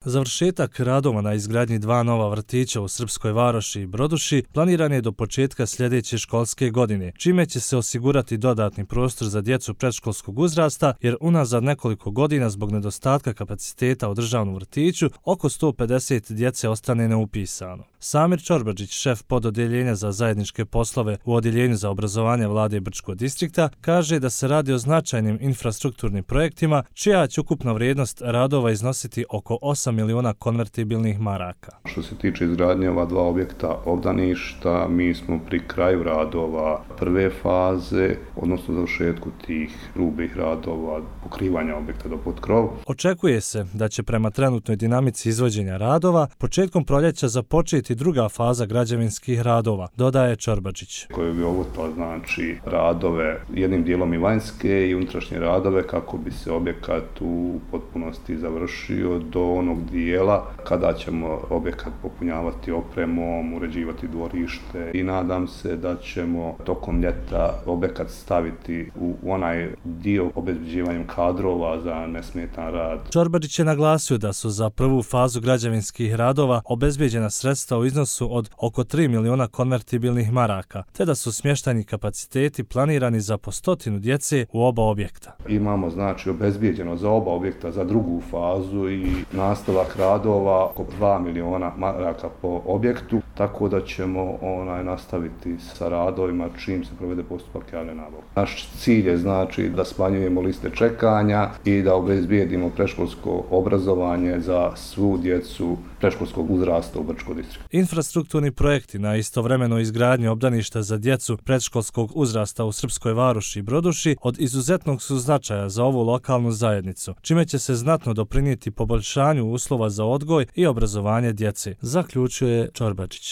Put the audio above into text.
Završetak radova na izgradnji 2 nova vrtića u Srpskoj Varoši i Broduši planiran je do početka sljedeće školske godine, čime će se osigurati dodatni prostor za djecu predškolskog uzrasta, jer unazad nekoliko godina zbog nedostatka kapaciteta u državnom vrtiću oko 150 djece ostane neupisano. Samir Čorbađić, šef pododjeljenja za zajedničke poslove u Odjeljenju za obrazovanje Vlade Brčkog distrikta, kaže da se radi o značajnim infrastrukturnim projektima, čija će ukupna vrijednost radova iznositi oko 8 miliona konvertibilnih maraka. Što se tiče izgradnje ova 2 objekta obdaništa, mi smo pri kraju radova prve faze, odnosno završetku tih grubih radova, pokrivanja objekta do pod krov. Očekuje se da će prema trenutnoj dinamici izvođenja radova početkom proljeća započeti druga faza građevinskih radova, dodaje Čorbađić. Koji bi obuhvatila znači radove, jednim dijelom i vanjske i unutrašnje radove, kako bi se objekat u potpunosti završio do onog dijela kada ćemo objekat popunjavati opremom, uređivati dvorište i nadam se da ćemo tokom ljeta objekat staviti u onaj dio obezbeđivanjem kadrova za nesmetan rad. Čorbađić je naglasio da su za prvu fazu građevinskih radova obezbeđena sredstva u iznosu od oko 3 miliona konvertibilnih maraka, te da su smještajni kapaciteti planirani za po 100 djece u oba objekta. Imamo znači obezbeđeno za oba objekta za drugu fazu i nastavak radova oko 2 miliona maraka po objektu, tako da ćemo nastaviti sa radovima čim se provede postupak javne nabavke. Naš cilj je znači da smanjujemo liste čekanja i da obezbijedimo predškolsko obrazovanje za svu djecu predškolskog uzrasta u Brčkom distriktu. Infrastrukturni projekti na istovremenoj izgradnji obdaništa za djecu predškolskog uzrasta u Srpskoj Varoši i Broduši od izuzetnog su značaja za ovu lokalnu zajednicu, čime će se znatno doprinijeti poboljšanju uslova za odgoj i obrazovanje djece, zaključuje Čorbađić.